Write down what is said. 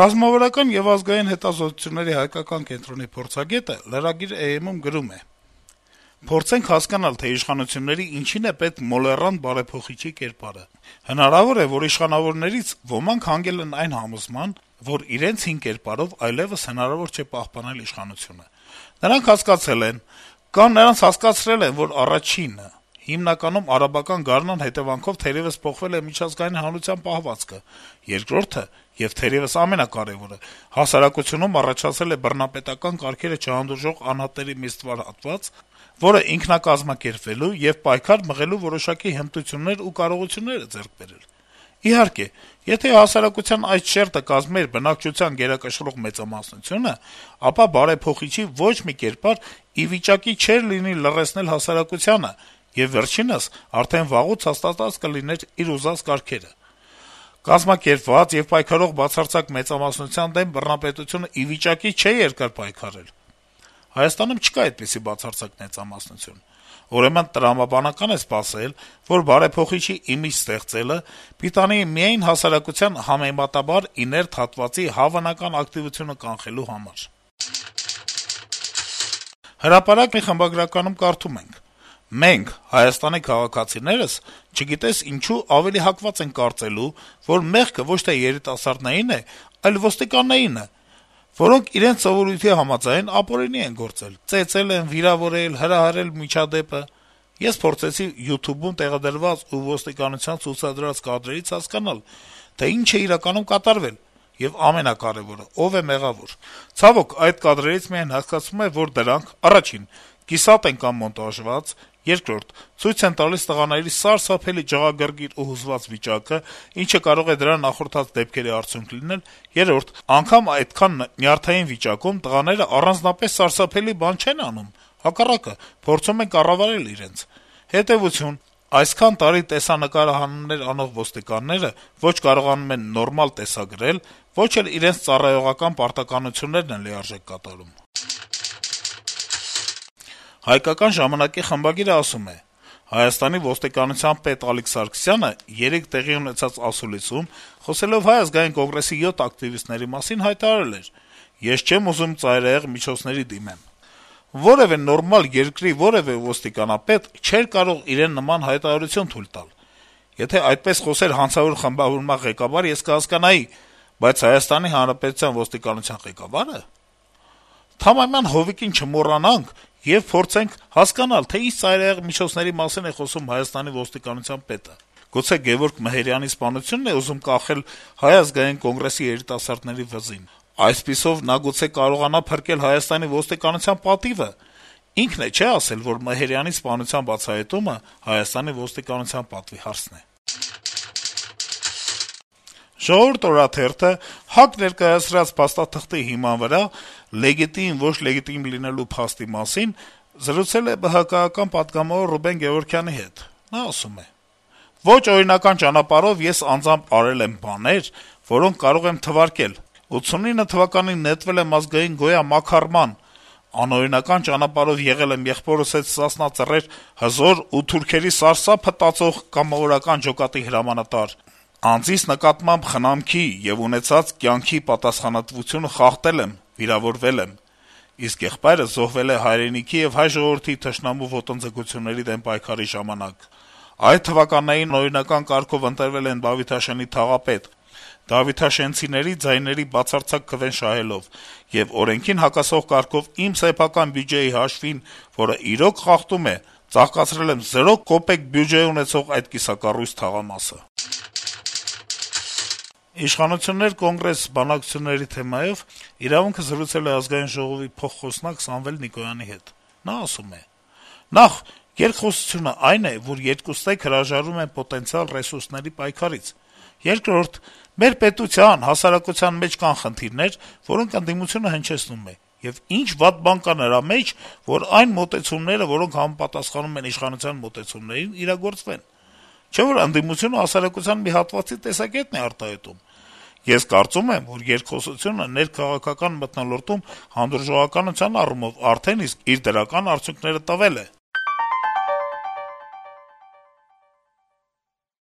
Ռազմավարական եւ ազգային հետազոտությունների հայկական կենտրոնի փորձագետը լրագիր «AM»-ում գրում է. - «Փորձենք հասկանալ, թե իշխանությունների ինչին է պետք մոլեռանդ բարեփոխիչի կերպարը: Հնարավոր է, որ իշխանավորներից ոմանք հանգել են այն համոզման, որ իրենց հին կերպարով այլեւս հնարավոր չէ պահպանել իշխանությունը: Նրանք հասկացել են, կամ նրանց հասկացրել են, որ առաջինը` հիմնականում արաբական գարնան հետեւանքով թերեւս փոխվել է միջազգային հանրության պահվածքը, երկրորդը եւ թերեւս ամենակարեւորը` հասարակությունում առաջացել է բռնապետական կարգերը չհանդուրժող անհատների մի ստվար հատված, որը ինքնակազմակերպվելու եւ պայքար մղելու որոշակի հմտություններ ու կարողություններ է ձեռք բերել: Իհարկե, եթե հասարակության այդ շերտը կազմեր բնակչության գերակշռող մեծամասնությունը, ապա բարեփոխիչի ոչ մի կերպար ի վիճակի չէր լինի լռեցնել հասարակությանը, եւ վերջինս արդեն վաղուց հաստատած կլիներ իր ուզած կարգերը: Կազմակերպված եւ պայքարող բացարձակ մեծամասնության դեմ բռնապետությունը ի վիճակի չէ երկար պայքարել: Հայաստանում չկա այդպիսի բացարձակ մեծամասնություն: Ուրեմն տրամաբանական է սպասել, որ բարեփոխիչի իմիջ ստեղծելը պիտանի միայն հասարակության համեմատաբար իներտ հատվածի հավանական ակտիվությունը կանխելու համար»: «Հրապարակ» խմբագրականում կարդում ենք. - «Մենք, Հայաստանի քաղաքացիներս, չգիտես ինչու ավելի հակված ենք կարծելու, որ մեղքը ոչ թե երիտասարդներին է, այլ ոստիկաններինը, որոնք իրենց սովորույթի համաձայն ապօրինի են գործել, ծեծել են, վիրավորել, հրահրել միջադեպը: Ես փորձեցի YouTube-ում տեղադրված ու ոստիկանության ցուցադրած կադրերից հասկանալ, թե ինչ է իրականում կատարվել, եւ ամենակարեւորը` ով է մեղավոր: Ցավոք, այդ կադրերից միայն հասկացվում է, որ դրանք, առաջին, կիսատ են կամ մոնտաժված, երկրորդ, ցույց են տալիս տղաների սարսափելի ջղագրգիռ ու հուզված վիճակը, ինչը կարող է դրա նախորդած դեպքերի արդյունք լինել, երրորդ, անգամ այդքան նյարդային վիճակում տղաները առանձնապես սարսափելի բան չեն անում, հակառակը, փորձում են կառավարել իրենց: Հետեւություն. այսքան տարի տեսանկարահանումներ անող ոստիկանները ոչ կարողանում են նորմալ տեսագրել, ոչ էլ իրենց ծառայողական պարտականություններն են լիարժեք կատարում»: «Հայկական ժամանակ»-ի խմբագիրը ասում է. - «Հայաստանի ոստիկանության պետ Ալիկ Սարգսյանը երեկ տեղի ունեցած ասուլիսում, խոսելով Հայ ազգային կոնգրեսի 7 ակտիվիստների մասին, հայտարարել էր. «Ես չեմ ուզում ծայրահեղ միջոցների դիմեմ»: Որեւէ նորմալ երկրի որեւէ ոստիկանապետ չէր կարող իրեն նման հայտարարություն թույլ տալ: Եթե այդպես խոսեր հանցավոր խմբավորման ղեկավար, ես կհասկանայի, բայց Հայաստանի Հանրապետության ոստիկանության ղեկավա՞րը: Թամամյան հովիկին չմոռանանք եւ փորձենք հասկանալ, թե ինչ ծայրահեղ միջոցների մասին է խոսում Հայաստանի ոստիկանության պետը: Գուցե Գեւորգ Մեհերյանի սպանությո՞ւնն է ուզում կախել Հայ ազգային կոնգրեսի երիտասարդների վզին: Այսպիսով նա գուցե կարողանա փրկել Հայաստանի ոստիկանության պատիվը: Ինքն է, չէ՞, ասել, որ Մեհերյանի սպանության բացահայտումը Հայաստանի ոստիկանության պատվի հարցն է»: «Ժողովուրդ» օրաթերթը ՀԱԿ ներկայացրած փաստաթղթի հիման վրա լեգիտիմ, ոչ լեգիտիմ լինելու փաստի մասին զրուցել է ԲՀԿ-ական պատգամավոր Ռուբեն Գեւորգյանի հետ: Նա ասում է. - «Ոչ օրինական ճանապարհով ես անձամբ արել եմ բաներ, որոնք կարող եմ թվարկել: 89 թվականին նետվել եմ Ազգային գոյա մաքարման, անօրինական ճանապարհով եղել եմ եղբորս հետ «Սասնա Ծռեր» հզոր ու թուրքերի սարսափը տածող կամավորական ջոկատի հրամանատար, անձիս նկատմամբ խնամքի եւ ունեցած կյանքի պատասխանատվությունը խախտել եմ, վիրավորվել եմ: Իսկ եղբայրս զոհվել է հայրենիքի եւ հայ ժողովրդի թշնամու ոտնձգությունների դեմ պայքարի ժամանակ: Այդ թվականներին անօրինական կարգով ընտրվել են Դավիթաշենի թաղապետ, դավիթաշենցիների ձայների բացարձակ քվեն շահելով, եւ օրենքին հակասող կարգով իմ սեփական բյուջեի հաշվին, որը իրոք խախտում է, ծաղկացրել եմ 0 կոպեկ բյուջե ունեցող այդ կիսակառույց թաղամասը»: Իշխանություններ - Կոնգրես բանակցությունների թեմայով «Իրավունք»-ը զրուցել է Ազգային ժողովի փոխխոսնակ Սամվել Նիկոյանի հետ: Նա ասում է. - «Նախ, երկխոսությունը այն է, որ երկուստեք հրաժարվում են պոտենցիալ ռեսուրսների պայքարից: Երկրորդ, մեր պետության, հասարակության մեջ կան խնդիրներ, որոնք ընդդիմությունը հնչեցնում է: Եվ ի՞նչ վատ բան կա նրա մեջ, որ այն մոտեցումները, որոնք համապատասխանում են իշխանության մոտեցումներին, իրագործվեն: Չէ՞ որ ընդդիմությունը հասարակության մի հատվածի տեսակետն է արտահայտում: Ես կարծում եմ, որ երկխոսությունը ներքաղաքական մթնոլորտում հանդուրժողականության առումով արդեն իսկ իր դրական արդյունքները տվել է»: